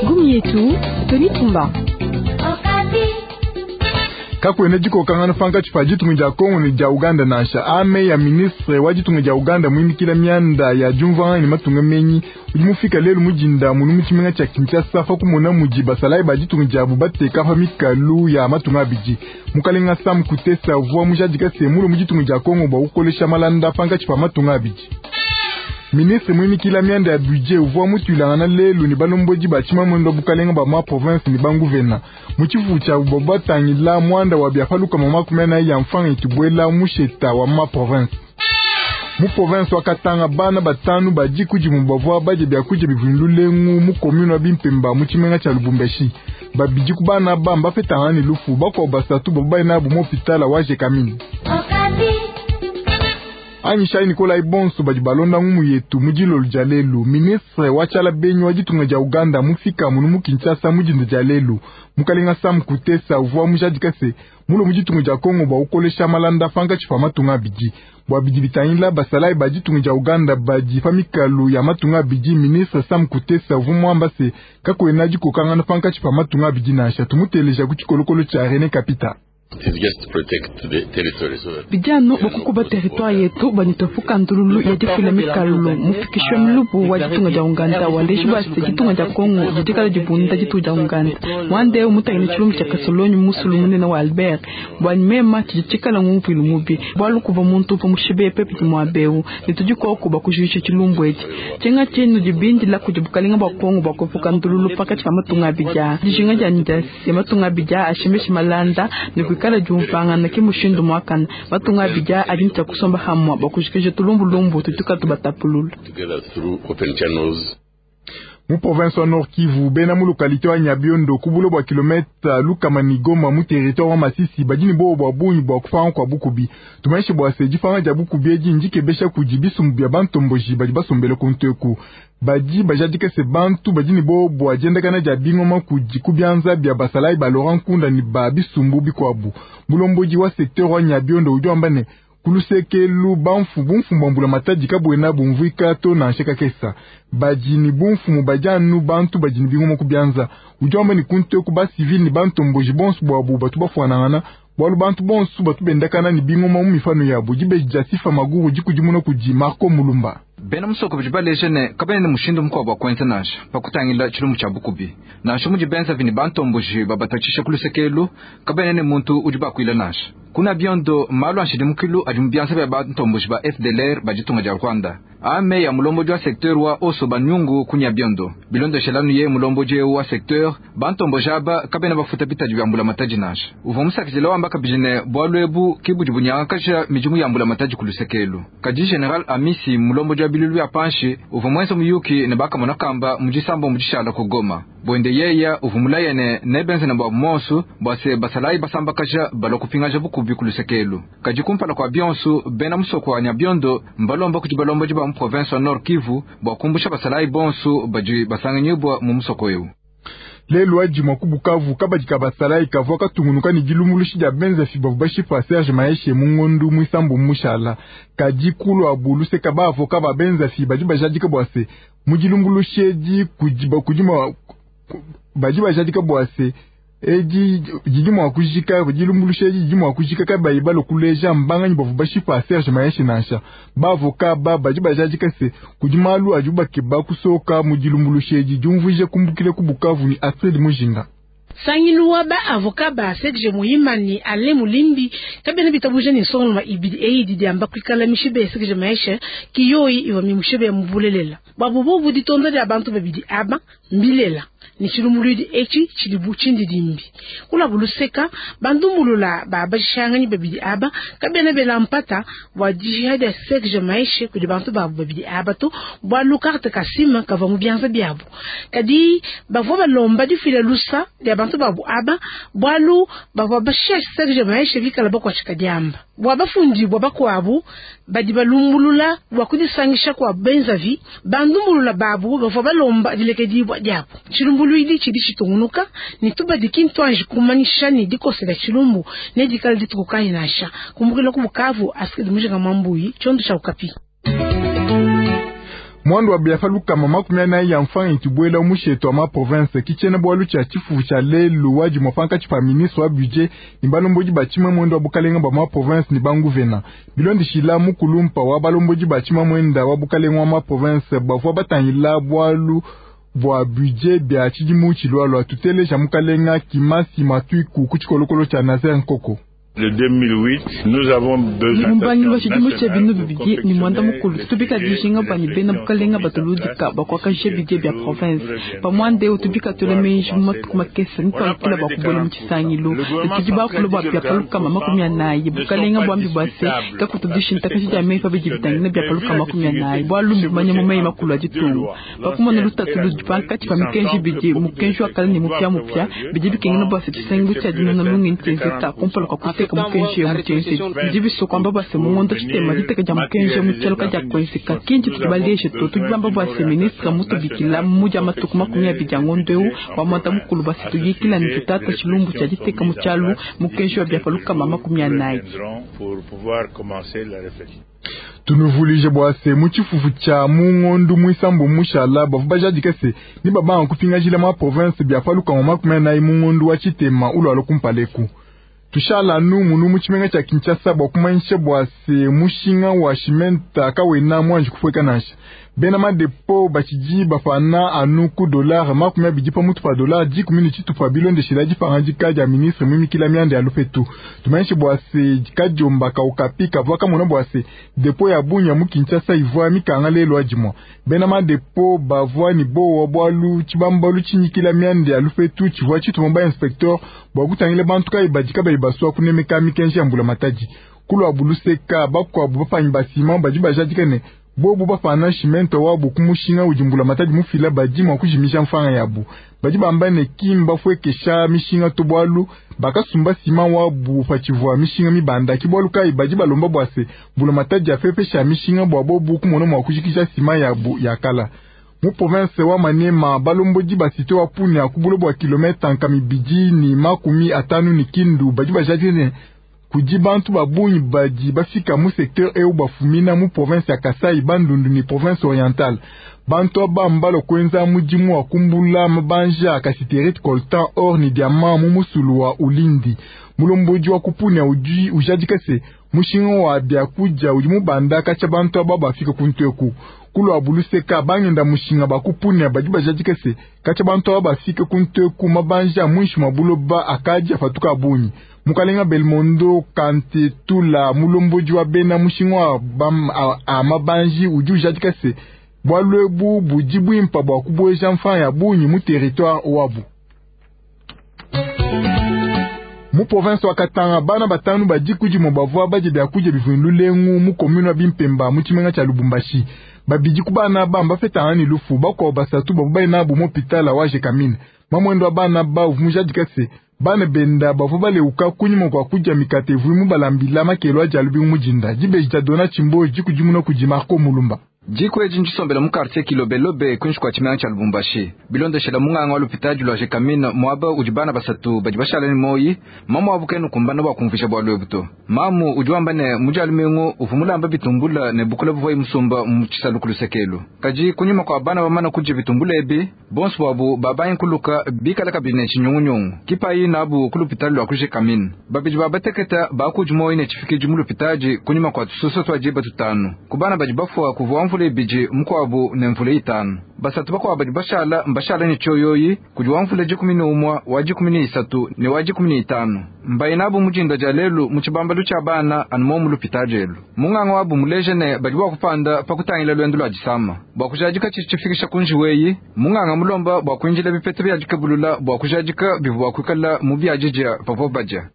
Ngumu yetu Tony Tumba. Kakuena dikokangana pankatshi pa ditunga dia Kongo ne dia Uganda nansha. Ame ya ministre wa ditunga dia Uganda muimikila mianda ya diumvuangana ne matunga menyi udi mufika lelu mu dinda munu mu tshimenga tshia Kinshasa pa kumona mudi basalayi ba ditunga diabu bateka pa mikalu ya matunga abidi. Mukalenga Sam Kutesa uvua mujadika se mulue mu ditunga dia Kongo bua kukolesha malanda pankatshi pa matunga abidi. Ministre muimikila mianda ya budget uvua mutuilangana lelu ne balombodi ba tshimamuenda wa bukalenga ba ma province ne banguvena mu tshifufu tshiabu bua batangila muanda wa bia pa 400 ya mfranga itubuela musheta wa ma province. Mu province wa Katanga bana batanu ba diku dimue bavua badie biakudia bivua ne lulengu mu commune wa Bimpemba mu tshimenga tshia Lubumbashi. Babidi ku bana aba mbapetangana ne lufu, bakuabu basatu bavua baye nabu mu hopitala wa Gécamines. Anyishayi Nikolai bonso badi balonda ngumu yetu mu dilolo dia lelu. Ministre wa tshiala benyi wa ditunga dia Uganda mufika munu mu Kinshasa mu dinda dia lelu. Mukalenga Sam Kutesa uvua mujadika se mulue mu ditunga dia Kongo bua kukolesha malanda pankatshi pa matunga abidi. Bua bidi bitangila basalayi ba ditunga dia Uganda badi pa mikalu ya matunga abidi, ministre Sam Kutesa uvua muamba se kakuena dikokangana pankatshi pa matunga abidi nansha. Tumuteleja ku tshikolokolo tshia René Kapita. Bidi anu bua kukuba territoire yetu bua ne tuepuka ndululu ya difila mikalu. Mufikishi wa milubu wa ditunga dia Uganda waleji bua se ditunga dia Kongo didi kala dibunda ditunga dia Uganda. Muanda eu mutangile tshilumbu tshia Kasolonyi musulu munene wa Albert. Bua mema tshidi tshikala ngumvuilu mubi bualu kuvua muntu uvua mushibe pepi ne muaba eu ne tudi koku bua kujuisha tshilumbu etshi. Tshinga tshinu dibindila kudi bukalenga bua Kongo bua kuepuka ndululu pankatshi pa matunga abidi aa. Dijinga dianyi dia se matunga abidi aa ashemeshe malanda ne kuikala diumvuangana ke mushindu muakane. Matunga abidi aa adi ne tshia kusomba hamua bua kujikija tulumbulumbu tudi tubatapulula. Mu province wa Nord Kivu bena mu localité wa Nyabiondo ku bulo bua kilomètre lukama ne Goma mu territoire wa Masisi badi ne bowa bua bungi bua kupanga kua bukubi. Tumanyishe bua se dipanga dia bukubi edi ndikebesha kudi bisumbu bia bantomboji badi basombele ku nteku. Badi bajadika se bantu badi ne bowa bua diendakana dia bingoma kudi ku bianza bia basalayi ba Laurent Nkunda ne ba bisumbu bikuabu. Mulombodi wa secteur wa Nyabiondo udi wamba ne ku lusekelu bamfu bumfumu bua mbulamatadi kabuena bumvuika to nansha kakesa. Badi ne bumfumu badi anu bantu badi ne bingoma ku bianza. Udi wamba ne ku nteku ba civil ne bantomboji bonso buabu batu bafuanangana bualu bantu bonso batu bendakana ne bingoma mu mifanu yabu. Dibeji dia Sifa Maguru dikudimuna kudi Marco Mulumba. Bena musoko badi baleja ne kabena ne mushindu mukuabu wa kuenza nansha pa kutangila tshilumbu tshia bukubi. Nansha mudi benzavi ne bantomboji babatatshisha ku luseke elu, kabena ne muntu udi bakuila nansha. Kuna biondo malu a nshidimukilu adi mu bianza bia bantomboji ba FDLR ba ditunga dia Rwanda. Ame ya mulombodi wa secteur wa Oso Banyungu kunya biondo. Bilondeshelanu ye mulombodi wa secteur bantomboji aba kabena bafuta bitadi bia mbulamatadi nansha. Uvua musakidile wamba kabidi ne bualu ebu ke budi bunyangakaja midimu ya mbulamatadi ku luseke elu. Kadi General Amisi mulombodi wa bilulu bia panshi uvua muenze muyuki ne bakamona kamba mu disambo mu dishala ku Goma. Bwende yeya uvua mulaya ne nebenze ne bua monsu bua se basalayi basambakaja balua kupingaja bukubi ku luseke elu. Kadi kumpala kua bionso bena musoko wa Nyabiondo mbalomba kudi balombodi ba mu province wa Nord Kivu bua kumbusha basalayi bonso badi basanganyibwa mu musoko eu. Lelu adi mua ku Bukavu kabadi ka basalayi kavua katungunuka ne dilumbuluishi dia benzafi bavua bashipa Serge Maheshe mu ngondu muisambu mushala. Kadi kuluabu luseka ba avocat ba benzafi badi bajadika bua se mu dilumbuluishi edi kudi badi bajadika bua se edi didi mua kujika dilumbuluishi edi didi mua kujika kabayi balue kuleja mbanganyi bavua bashipa Serge Maheshe nansha. Ba avocat ba badi bajadika se kudi malu adi bakeba kusoka mu dilumbuluishi edi diumvuija kumbukile ku Bukavu ni Astrid Mujinga. Sangilu wa ba avocat ba Serge Muhima ni Alain Mulimbi kabena bitabuja ni nsonga ibidi eyi didiamba kuikala mishibe Serge Maheshe kiyoyi iwa mimushibe mubulelela babu bobu ditonda dia bantu babidi aba mbilela ni tshilumuluidi etshi tshidi bu tshindidimbi kula buluseka bandumbulula ba bashanganyi babidi aba kabena bela mpata bua dishiha dia Serge Maheshe kudi bantu babu babidi aba to bualu carte kasima kavua mu bianza biabu kadi bavua balomba difila lusa dia bantu babu aba bualu bavua bashiha Serge Maheshe bikala bakuatshika diamba bua bafundi bua bakuabu badi balumbulula bua kudisangisha kua benzavi bandumbulula babu bavua balomba dilekedibua diabu. Tshilumbuluidi tshidi tshitungunuka ne tubadi kintu anji kumanyisha ne dikosela tshilumbu ne dikala dituku kayi nansha kumbukila ku Bukavu Astrid Mujinga Mwambuyi tshiondo tshia Okapi. Mwandu wa biafa lukama 40 ya mfanga itibwela musheto wa ma province kichena bwalu cha chifu cha lelu waji mwapanka chipa ministre wa budget ni balomboji bachima mwendo wa bukalenga ba ma province ni banguvena bilondi shila mukulumpa wa balomboji bachima mwenda wa bukalenga wa ma province bavwa batangila bwalu bwa budget bya chidimu chilwalwa tuteleja mukalenga kimasi matwiku kuchikolokolo cha Nazer Nkoko. Le 2008, nous avons besoin mumbangi chidimu cha binu bibidi ni mwanda mukulu tutubika dijinga bani bena bukalenga batuludika bakwakajia bidie bya province pamwande utubika tule menji mu matuku makese nitwalukila bakubwela mu tshisangilu tudi bakulu bwa bya palukama 40 bukalenga bwambi bwase kakutudishintakashi dia meyi pabidi bitangina bya palukama 40 bwalumbi manya mu meyi makulu a ditungu bakumona lutatu ludi pankatshi pa mikenji bidi mukenji wa kala ne mupya mupya bidi bikengela bwase tshisangilu tshia dinona lungenyi tshienzeka kumpala kwa kuteka mukenji ya muchenzi ndibiso kwamba bwase mungondo chitema diteka dia mukenji mutshaluka dia kwenzeka kinji tudibaleshe to tudibamba bwase ministre mutubikila mudia matuku 20 ya ngondo eu wa mwanda mukulu base tuyikila ni tutata chilumbu cha diteka mutshalu mukenji wa biapaluka 40. Tunuvulije bwase muchifufu cha mungondu mwisambo mushala bavu bajadika se ni babanga kupingajila ma province biapaluka 40 mungondu wa chitema ulwalo kumpaleku. Tushala nu munu muchimenga cha Kinshasa bwa kumanyisha bwase mushinga wa shimenta kawena mwanji kufweka nasha bena madepo bachiji bafana anu ku dollar 20 pa mutu pa dollar 10 chitupa bilondeshela dipangandika dia ministre mwimikila mianda ya lupetu. Tumanyishe bwase kadiomba kaukapi kavwa kamona bwase depo ya bunya mu Kinshasa ivwa mikanga lelo adimwa bena madepo bavwa ni bowa bwalu chibambalu chinyikila mianda ya lupetu chivwa chitumba inspecteur bwa kutangile bantu kai badika baswa kunemeka mikenji ya mbula matadi kulwa buluseka bakwabu bapanyi basima badi bajadika ne bobu bafana shimento wabu kumushinga ujimbula matadi mufila badi mwa kujimisha mfanga yabu badi bamba ne kimba fwekesha mishinga tobwalu bakasumba sima wabu pachivwa mishinga mibanda kibwalu kai badi balomba bwase mbula matadi afepesha mishinga bwa bobu kumona mwa kujikisha sima yabu yakala mu province wa Maniema balomboji basite wa Punia kubulo bwa kilomita nkamibidi ni 50 ni Kindu badi bajadine kudi bantu babunyi badi bafika mu secteur eu bafumina mu province ya Kasai Bandundu ni province orientale bantu abambalo kwenza mudimu wa kumbula mabanja kasiterite coltan or ni diamant mu musulu wa Ulindi mulomboji wa kupunia uji ujadika se mushinga wa byakuja udi mubanda kacha bantu aba bafika kuntweku kulwa buluseka bangenda mushinga bakupunia badi bajadika se kacha bantu aba bafika kuntweku mabanja mwishi mabuloba akaja fatuka bunyi mukalenga Belmondo kante tula mulomboji wa bena mushinga wa a mabanji udi ujadika se bwalwebu budi bwimpa bwa kubweja mfanya ya bunyi mu territoire wabu. Mu province wa Katanga bana batanu badikudi mo bavwa baje byakuja bivundu lengu mu commune wa Bimpemba mu chimenga cha Lubumbashi babidi kubana bamba feta ani lufu bakwa basatu babu na bu mopitala waje kamine mamwendo bana ba uvumujadika se bana benda bavwa baleuka kunyuma kwa kuja mikate vuimu balambila makelo ajalubi mujinda jibeja dona chimbo jikujimuna kuji Marco Mulumba. Jiko eji njisombela mu quartier Kilobelobe kunshi kwa chimenga cha Lubumbashi bilondeshela munganga wa lupitaji lwa Jekamine mwaba ujibana basatu badi bashala ni moyi mamu abukenu kumbana bwa kumvisha bwa lwebuto mamu ujuamba ne mujalumengo uvumulamba bitumbula ne bukula buvoi musumba mu chisalu kulusekelo kaji kunyuma kwa bana bamana kuje bitumbula ebi bonso bwabu babayin kuluka bikala kabine chinyungunyungu kipayi nabu kulupitali lwa kujekamine babiji babateketa bakuji moyi ne chifikiji mu lupitaji kunyuma kwa tusoso twajiba tutanu kubana badi bafwa kuvua mvula ibiji mukwabu ne mvula itanu basatu bakwa badi bashala mbashala ni choyoyi kujwa mvula 11 wa 13 ne wa 15 mbainabu mujinda jalelu muchibambalu cha bana anumo mulupita jelu munganga wabu mulejene badi bwakupanda pakutangila lwendo lwa jisama bwakujajika chichifikisha kunjiweyi munganga mulomba bwakwinjila bipete byajikabulula bwakujajika bivu bwakwikala mu byajija papo baja.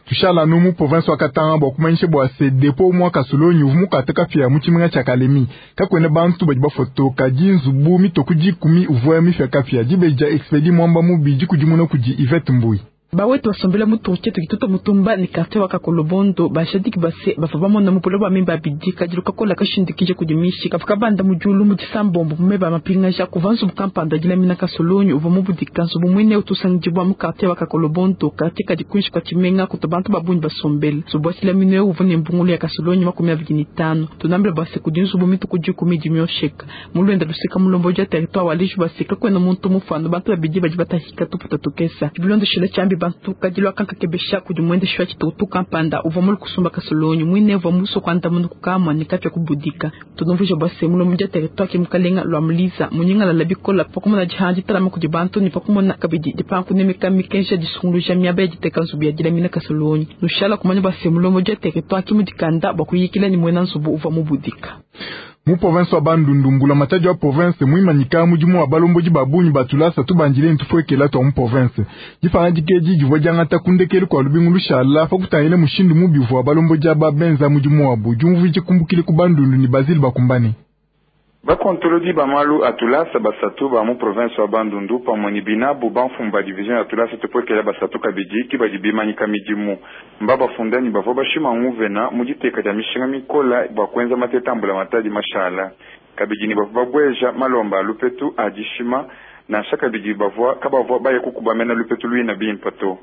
Tushala numu province wa Katanga bwa kumanyisha bwa se depo mwa kasolonyi uvumuka kafia mu chimenga cha Kalemi kakwene bantu badi bafoto kajinzu bu mitoku 10 uvwa mifia kafia jibeja expedi mwamba mubi jikujimuna kuji Yvette Mbui. Bawetu basombela mu quartier tukituta mutumba ni quartier wa Kakolobondo bashadiki base bava bamona mu buloba mimba bidi kadilu kakola kashindikije kudimishi kafuka banda mu julu mu disambombo meba mapingaja kuvanzu bukampanda dilamina kasolonyo uva mu budika nzubu mwine utusangijibwa mu quartier wa Kakolobondo quartier kadi kunshi kwa chimenga kuto bantu babunyi basombela nzubu wa chilamino uva ne mbungulu ya kasolonyo 25 tunambila base kudi nzubu mituku 10 dimyosheka mulwenda lusika mulombo ja territoire wa lishu basika kwena muntu mufano bantu babidi badi batahika tuputa tukesa bilondo shila chambi bantu kadilwa kanka kebesha kudi mwende shwa chitutu kampanda uva mulu kusumba kasolonyo mwine uva muso kwanda munu kukamwa nikapya kubudika tunumvusha bwase mulombo ja territoire kimukalenga lwa muliza munyinga la bikola pakumona jihandi talama kudi bantu ni pakumona kabidi dipanku nemeka mikensha disunguluja miaba ya diteka nzubu ya dilamina kasolonyo nushala kumanya bwase mulombo ja territoire kimudikanda bwa kuyikila ni mwena nzubu uva mubudika. Mu province wa Bandundu mbula matadi wa province muimanyika mudimu wa balomboji babunyi batulasa tubandile ntufwekela twa mu province difanga dikeji divua diangata kundekelu kwa lubingu lushala pa kutangile mushindu mubi wa balomboji aba benza mudimu wabu diumvuije kumbukile ku Bandundu ni Basile Bakumbane. Bakontolodi bamalu atulasa basatu ba mu province wa Bandundu pamwe ni binabu bamfumba division ya tulasa tupwekela basatu kabidi kibadi bimanyika midimu mba bafundani bavua bashima nguvena mu diteka dia mishinga mikola bua kuenza matetambula matadi mashala kabidi ni bavua babweja malomba a lupetu adishima nansha kabidi bavua kabavua baye kukubamena lupetu luina bimpa to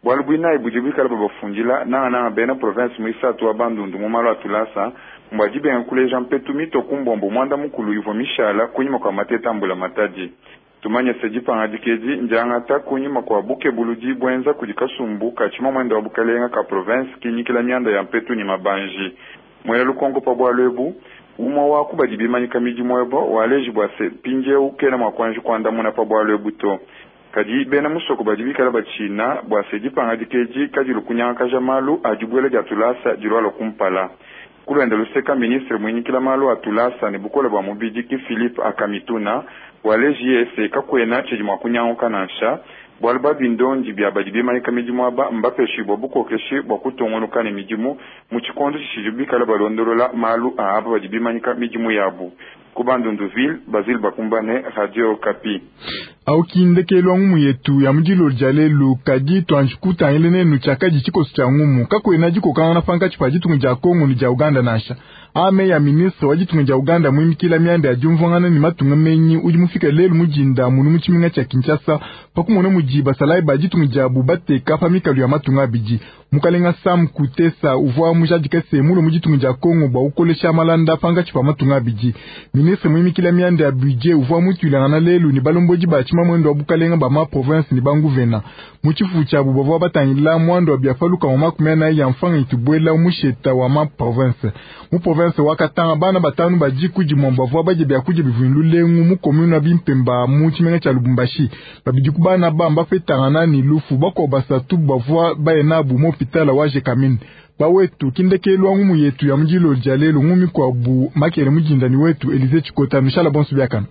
bwalu bwinayi budi bwikala babafundila nangananga bena province muisatu wa Bandundu mu malu atulasa mbwadi benga kuleja mpetu mito kumbombo mwanda mukulu ivua mishala kunyima kwa matetambula matadi tumanye se dipanga dikedi ndiangata kunyima kwa buke buludi bwenza kudi kasumbu kachima mwenda wa bukalenga ka province kinyikila mianda ya mpetu ni mabanji mwela lukongo pa bwalu ebu umwa waku badi bimanyika midimu ebo waleji bwa se mpindieu kena mwa kuanji kuandamuna pa bwalu ebu to kadi bena musoko badi bikala bachina bwa se dipanga dikeji kadi lukunyangakaja malu adibwela dia tulasa dilwala kumpala kulwenda luseka ministre mwinyikila malu atulasa ne bukola bwa mubidi ki Philippe Akamituna waleji yese kakwena tshidi mwa kunyanguka nansha bwalu bwa bindondi bya badi bimanyika midimu aba mbapeshibwa bukokeshi bwa kutongonuka ne midimu mu tshikondo tshidi bikala balondolola malu aba badi bimanyika midimu yabu ku Bandunduville Basile Bakumbane, Radio Okapi. Aukindekelo ngumu yetu ya mudilo dia lelu kadi twanjikutangile nenu tshiakadi tshikoso tshia ngumu kakwena dikokangana pankatshi pa ditunga dia Kongo ne dia Uganda nansha ame ya ministre wa ditunga dia Uganda muimikila mianda ya diumvuangana ne matunga menyi udi mufika lelu mudinda munu mu tshimenga tshia Kinshasa pakumona mudi basalayi ba ditunga diabu bateka pa mikalu ya matunga abidi. Mukalenga Sam Kutesa uvua mujadika se mulo mu ditunga dia Kongo bua kukolesha malanda pankatshi pa matunga abidi. Ministre muimikila mianda ya budget uvua mutuilangana lelu ne balombodi ba tshimamwendo wa bukalenga ba ma province ne banguvena mu tshifu tshiabu bavua batangila mwando wa biafaluka wa 44 ya mfanga itubwela musheta wa ma province. Mu province wakatanga bana batanu badi kudi mwambo bavua badye biakudia bivuindu lengu mu commune wa Bimpemba mu tshimenga tshia Lubumbashi. Babidi ku bana bamba fetangana ni lufu bako basatu bavua baye nabu mu hôpital wa Jekamine. Bawetu kindekelwa ngumu yetu ya mudilo dia lelu ngumi kwa bu makele mujindani wetu Elize Chikota mishala bonso biakana.